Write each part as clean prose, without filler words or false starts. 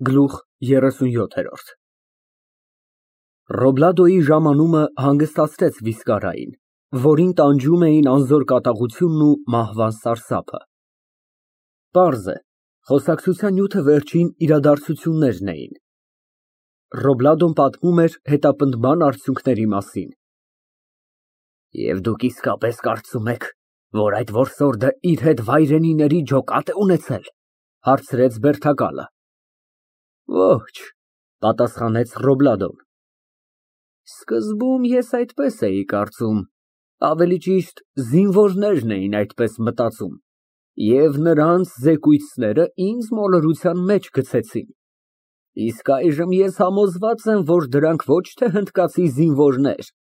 Գլուխ 37 Ռոբլադոյի ժամանումը հանգստացրեց վիզկարային, որին տանջում էին անզոր կատաղությունն ու մահվան սարսափը։ Պարզ է, խոսակցության նյութը վերջին իրադարձություններն էին։ Ռոբլադոն պատմում էր հետապնդման արդյունքների մասին։ Եվ դուք իսկապես կարծում եք, որ այդ որսորդը իր հետ վայրենիների ջոկատ է ունեցել, հարցրեց Բերդակալը։ Ոչ, պատասխանեց Ռոբլադոն։ Սկզբում ես այդպես էի կարծում, ավելի ճիշտ զինվորներն էին այդպես մտածում, և նրանց զեկույցները ինձ մոլորության մեջ գցեցին, իսկ այժմ ես համոզված եմ, որ դրանք ոչ թե հնդկացի զինվորներ,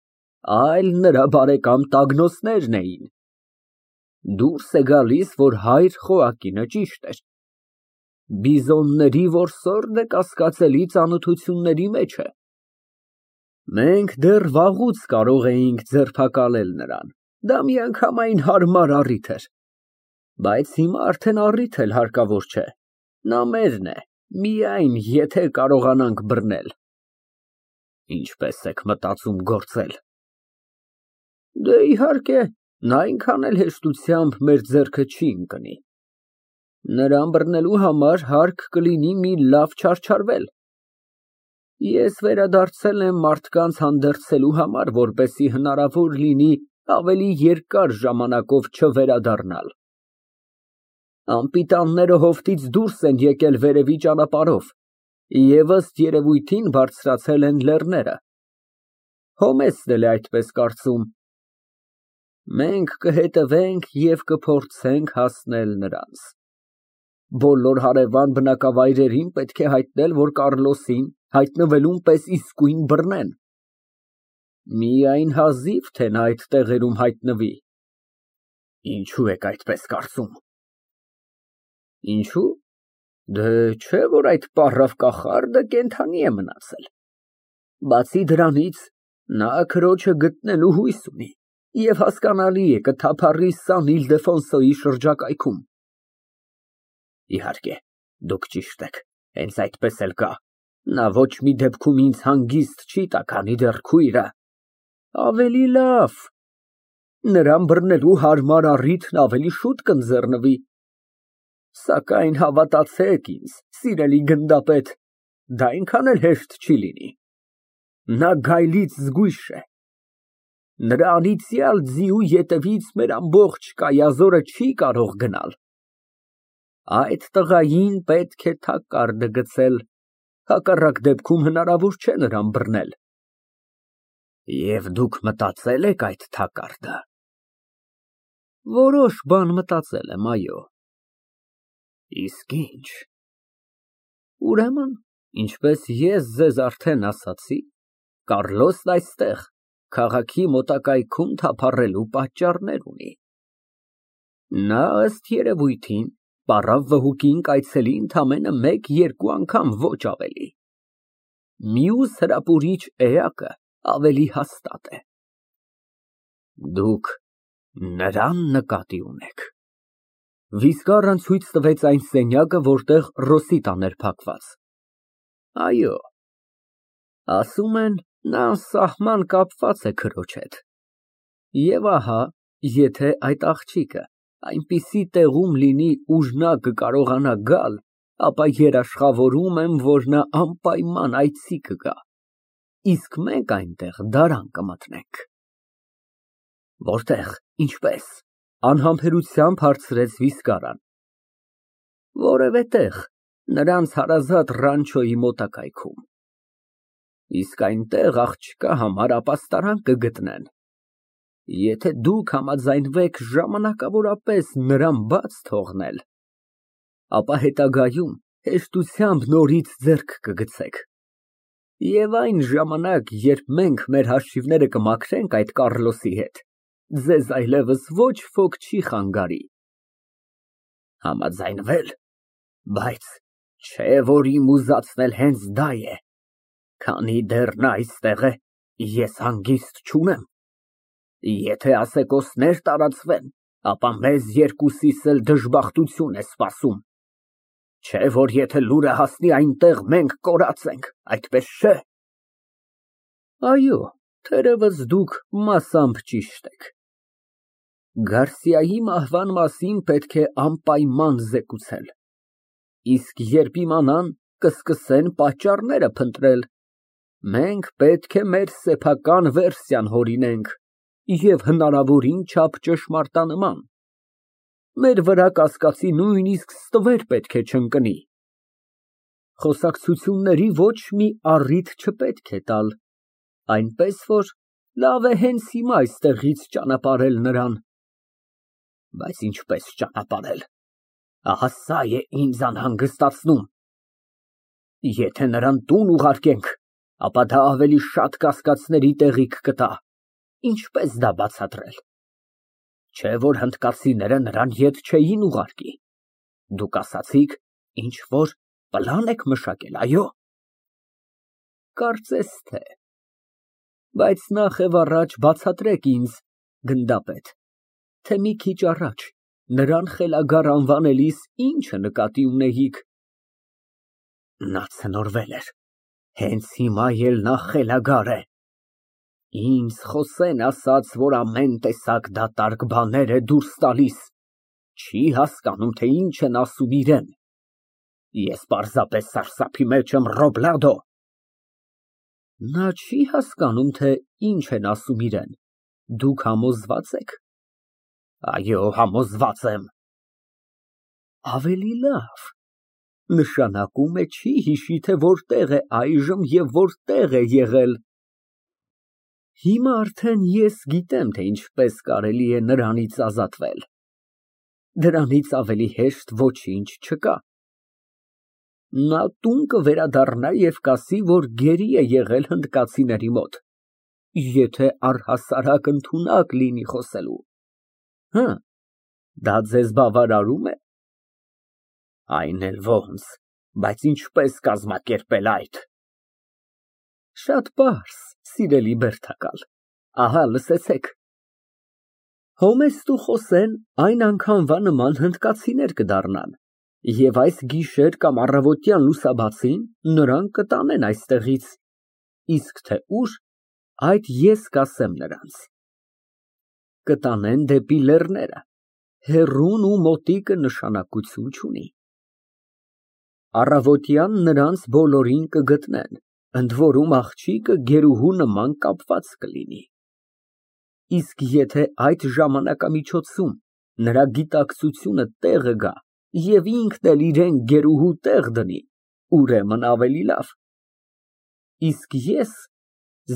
այլ նրա բարեկամ տագնոցներն էին։ Դուրս է գալիս, որ հայր Խոակինը ճիշտ էր։ Բիզոնների որսորդը կասկածելի ծանոթությունների մեջ է։ Մենք դեռ վաղուց կարող էինք ձերբակալել նրան, դա միանգամայն հարմար առիթ էր, բայց հիմա արդեն առիթ էլ հարկավոր չէ, նա մերն է, միայն եթե կարողանանք բռնել։ Ինչպես եք մտածում գործել։ Դե իհարկե, նա այնքան էլ հեշտությամբ մեր ձեռքը չի ընկնի։ Նրան բռնելու համար հարկ կլինի մի լավ չարչարվել։ Ես վերադարձել եմ մարդկանց հանդերձելու համար, որպեսզի հնարավոր լինի ավելի երկար ժամանակով չվերադառնալ։ Անպիտանները հովտից դուրս են եկել վերևի ճանապարհով և ըստ երևույթին բարձրացել են լեռները։ Հոմեսն էլ է այդպես կարծում։ Մենք կհետևենք և կփորձենք հասնել նրանց։ Բոլոր հարևան բնակավայրերին պետք է հայտնել, որ Կառլոսին հայտնվելուն պես իսկույն բռնեն։ Միայն հազիվ թե նա այդ տեղերում հայտնվի։ Ինչո՞ւ եք այդպես կարծում։ Ինչո՞ւ։ Դե չէ՞ որ այդ պառավ կախարդը կենդանի է մնացել։ Բացի դրանից, նա քրոջը գտնելու հույս ունի և հասկանալի է, կթափառի Սան Իլդեֆոնսոյի շրջակայքում։ Իհարկե, դուք ճիշտ եք, հենց այդպես էլ կա։ Նա ոչ մի դեպքում ինձ հանգիստ չի տա, քանի դեռ քույրը։ Ավելի լավ, նրան բռնելու հարմար առիթն ավելի շուտ կընձեռնվի։ Սակայն հավատացեք ինձ, սիրելի գնդապետ, դա այնքան էլ հեշտ չի լինի։ Նա գայլից զգույշ է։ Նրա անիծյալ ձիու ետևից մեր ամբողջ կայազորը չի կարող գնալ։ Այդ տղային պետք է թակարդը գցել, հակառակ դեպքում հնարավոր չէ նրան բռնել։ Եվ դուք մտածել եք այդ թակարդը։ Որոշ բան մտածել եմ, այո։ Իսկ ինչ։ Ուրեմն, ինչպես ես ձեզ արդեն ասացի, Կառլոսն այստեղ, քաղաքի մոտակայքում թափառելու պատճառներ ունի։ Նա ըստ երևույթին պառավ վհուկին կայցելի ընդամենը 1-2 անգամ, ոչ ավելի։ Մյուս հրապուրիչ էակը ավելի հաստատ է։ Դուք նրան նկատի ունեք։ Վիզկարան ցույց տվեց այն սենյակը, որտեղ Ռոսիտան էր փակված։ Այո։ Ասում են, նա անսահման կապված է քրոջ հետ։ Եվ ահա, եթե այդ աղջիկը այնպիսի տեղում լինի, ուր նա կկարողանա գալ, ապա երաշխավորում եմ, որ նա անպայման այցի կգա, իսկ մենք այնտեղ դարան կմտնենք։ Որտեղ, ինչպես, անհամբերությամբ հարցրեց Վիզկարան։ Որևէ տեղ, նրանց հարազատ Ռանչոյի մոտակայքում։ Իսկ այնտեղ աղջկա համար ապաստարան կգտնեն։ Եթե դուք համաձայնվեք ժամանակավորապես նրան բաց թողնել, ապա հետագայում հեշտությամբ նորից ձեռք կգցեք։ Եվ այն ժամանակ, երբ մենք մեր հաշիվները կմաքրենք այդ Կառլոսի հետ, ձեզ այլևս ոչ ոք չի խանգարի։ Համաձայնվել, բայց չէ որ իմ ուզածն էլ հենց դա է, քանի դեռ նա այստեղ է, ես հանգիստ չունեմ։ Եթե ասեկոսներ տարածվեն, ապա մեզ երկուսիս էլ դժբախտություն է սպասում։ Չէ որ եթե լուրը հասնի այնտեղ, մենք կորած ենք, այդպես չէ։ Այո, թերևս դուք մասամբ ճիշտ եք։ Գարսիայի մահվան մասին պետք է անպայման զեկուցել, իսկ երբ իմանան, կսկսեն պատճառները փնտրել։ Մենք պետք է մեր սեփական վերսիան հորինենք և հնարավորին չափ ճշմարտանման։ Մեր վրա կասկածի նույնիսկ ստվեր պետք է չընկնի։ Խոսակցությունների ոչ մի առիթ չպետք է տալ, այնպես որ լավ է հենց հիմա այստեղից ճանապարհել նրան։ Բայց ինչպես ճանապարհել, ահա սա է ինձ անհանգստացնում։ Եթե նրան տուն ուղարկենք, ապա դա ավելի շատ կասկածների տեղիք կտա։ Ինչպես դա բացատրել։ Չէ որ հնդկացիները նրան ետ չէին ուղարկի։ Դուք ասացիք, ինչ որ պլան եք մշակել, այո։ Կարծես թե։ Բայց նախ եւ առաջ բացատրեք ինձ, գնդապետ, թե մի քիչ առաջ նրան խելագար անվանելիս ինչը նկատի ունեիք։ Նա ցնորվել էր, հենց հիմա էլ նա խելագար է։ Ինձ Խոսեն ասաց, որ ամեն տեսակ դատարկ բաներ է դուրս տալիս, չի հասկանում, թե ինչ են ասում իրեն։ Ես պարզապես սարսափի մեջ եմ, Ռոբլադո։ Նա չի հասկանում, թե ինչ են ասում իրեն, դուք համոզվա՞ծ եք։ Այո, համոզված եմ։ Ավելի լավ, նշանակում է չի հիշի, թե որտեղ է այժմ և որտեղ է եղել։ Հիմա արդեն ես գիտեմ, թե ինչպես կարելի է նրանից ազատվել։ Դրանից ավելի հեշտ ոչինչ չկա։ Նա տուն կվերադառնա և կասի, որ գերի է եղել հնդկացիների մոտ, եթե առհասարակ ընդունակ լինի խոսելու։ Հը, դա ձեզ բավարարում է։ Այն էլ ոնց, բայց ինչպես կազմակերպել այդ։ Շատ պարզ, սիրելի Բերդակալ, ահա լսեցեք։ Հոմեստ ու Խոսեն այն անգամվա նման հնդկացիներ կդառնան, և այս գիշեր կամ առավոտյան լուսաբացին նրանք կտանեն այստեղից, իսկ թե ուր, այդ ես կասեմ նրանց։ Կտանեն դեպի լեռները, հեռուն ու մոտիկը նշանակություն չունի։ Առավոտյան նրանց բոլորին կգտնեն, ընդ որում աղջիկը գերուհու նման կապված կլինի։ Իսկ եթե այդ ժամանակամիջոցում նրա գիտակցությունը տեղը գա և ինքն էլ իրեն գերուհու տեղ դնի, ուրեմն ավելի լավ։ Իսկ ես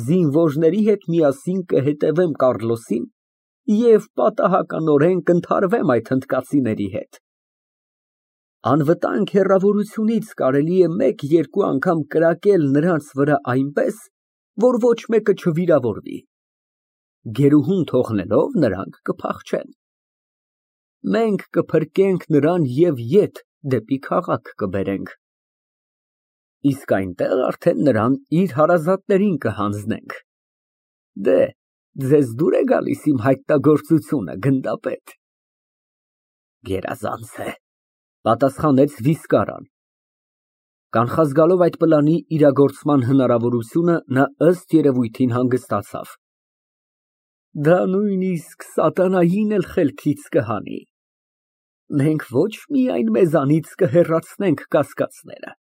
զինվորների հետ միասին կհետևեմ Կառլոսին և պատահականորեն կընդհարվեմ այդ հնդկացիների հետ։ Անվտանգ հեռավորությունից կարելի է մեկ֊երկու անգամ կրակել նրանց վրա այնպես, որ ոչ մեկը չվիրավորվի։ Գերուհուն թողնելով նրանք կփախչեն։ Մենք կփրկենք նրան և ետ դեպի քաղաք կբերենք։ Իսկ այնտեղ արդեն նրան իր հարազատներին կհանձնենք։ Դե, ձեզ դուր է գալիս իմ հայտնագործությունը, գնդապետ։ Գերազանց է, պատասխանեց Վիսկարան։ Կանխազգալով այդ պլանի իրագործման հնարավորությունը, նա ըստ երևույթին հանգստացավ։ Դա նույնիսկ սատանային էլ խելքից կհանի։ Մենք ոչ միայն մեզանից կհեռացնենք կասկածները,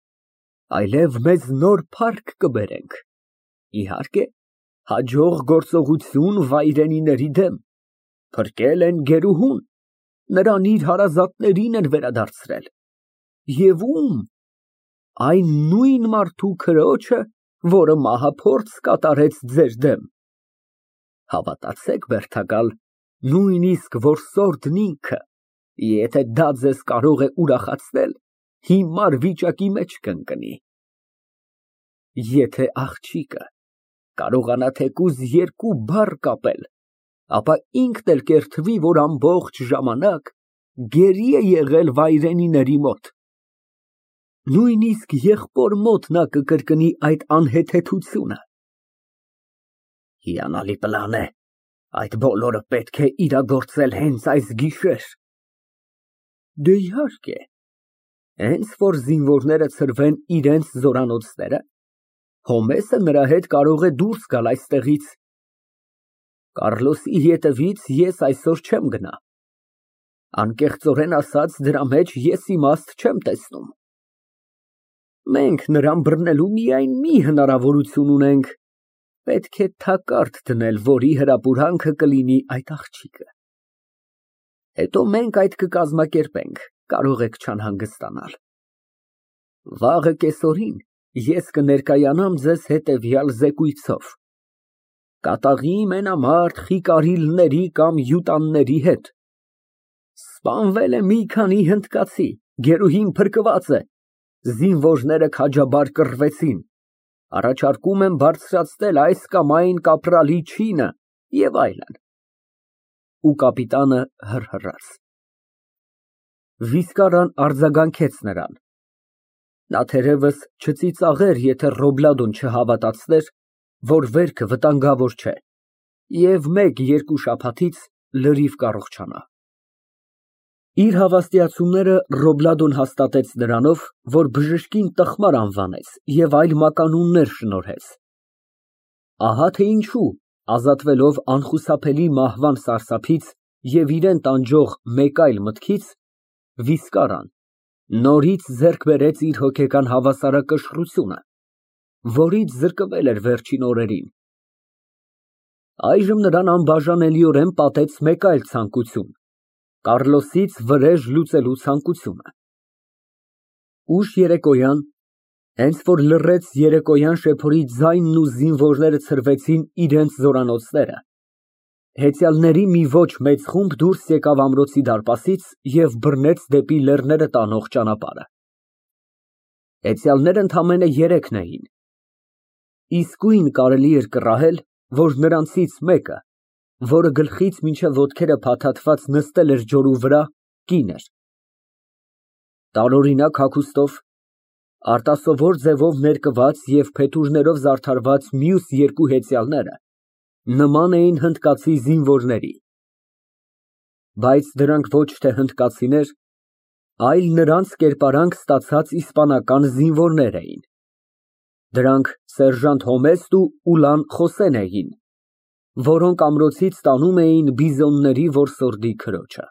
այլև մեզ նոր փառք կբերենք։ Իհարկե, հաջող գործողություն վայրենիների դեմ։ Փրկել են գերուհուն, նրան իր հարազատներին են վերադարձրել։ Եվ ում։ Այն նույն մարդու քրոջը, որը մահափորձ կատարեց ձեր դեմ։ Հավատացեք, Բերդակալ, նույնիսկ որսորդն ինքը, եթե դա ձեզ կարող է ուրախացնել, հիմար վիճակի մեջ կընկնի։ Եթե աղջիկը կարողանա թեկուզ երկու բառ կապել, ապա ինքն էլ կերթվի, որ ամբողջ ժամանակ գերի է եղել վայրենիների մոտ։ Նույնիսկ եղբոր մոտ նա կկրկնի այդ անհեթեթությունը։ Հիանալի պլան է, այդ բոլորը պետք է իրագործել հենց այս գիշեր։ Դե իհարկե, Հենց որ զինվորները ցրվեն իրենց զորանոցները, Հոմեսը նրա հետ կարող է դուրս գալ այստեղից։ Կառլոսի ետևից ես այսօր չեմ գնա։ Անկեղծորեն ասած, դրա մեջ ես իմաստ չեմ տեսնում։ Մենք նրան բռնելու միայն մի հնարավորություն ունենք, պետք է թակարդ դնել, որի հրապուրանքը կլինի այդ աղջիկը։ Հետո մենք այդ կկազմակերպենք, կարող եք չանհանգստանալ։ Վաղը կեսօրին ես կներկայանամ ձեզ հետևյալ զեկույցով. կատաղի մենամարտ խիկարիլների կամ յուտանների հետ։ Սպանվել է մի քանի հնդկացի, գերուհին փրկված է, զինվորները քաջաբար կռվեցին, առաջարկում եմ բարձրացնել այս կամ այն կապրալի չինը և այլն։ Ու կապիտանը հռհռաց։ Վիսկարան արձագանքեց նրան։ Նա թերևս չծիծաղեր, եթե Ռոբլադոն չհավատացներ, որ վերքը վտանգավոր չէ, և մեկ-երկու շաբաթից լրիվ կառողջանա։ Իր հավաստիացումները Ռոբլադոն հաստատեց նրանով, որ բժշկին տխմար անվանեց և այլ մականուններ շնորհեց։ Ահա թե ինչու, ազատվելով անխուսափելի մահվան սարսափից և իրան տանջող մեկ այլ մտքից, Վիսկարան նորից ձեռք բերեց իր հոգեկան հավասարակշռությունը, որից զրկվել էր վերջին օրերին։ Այժմ նրան անբաժանելիորեն պատեց մեկ այլ ցանկություն՝ Կառլոսից վրեժ լուծելու ցանկությունը։ Ուշ երեկոյան, հենց որ լռեց երեկոյան շեփորի ձայնն ու զինվորները ցրվեցին իրենց զորանոցները, հեծյալների մի ոչ մեծ խումբ դուրս եկավ ամրոցի դարպասից և բռնեց դեպի լեռները տանող ճանապարհը։ Հեծյալներն ընդամենը երեքն էին։ Իսկույն կարելի էր կռահել, որ նրանցից մեկը, որը գլխից մինչև ոտքերը փաթաթված նստել էր ջորու վրա, կին էր։ Տարօրինակ հագուստով, արտասովոր ձևով ներկված և փետուրներով զարդարված մյուս երկու հեծյալները նման էին հնդկացի զինվորների, բայց դրանք ոչ թե հնդկացիներ, այլ նրանց կերպարանք ստացած իսպանական զինվորներ էին։ Դրանք սերժանտ Հոմեսն ու Ուլան Խոսեն էին, որոնք ամրոցից տանում էին բիզոնների որսորդի քրոջը։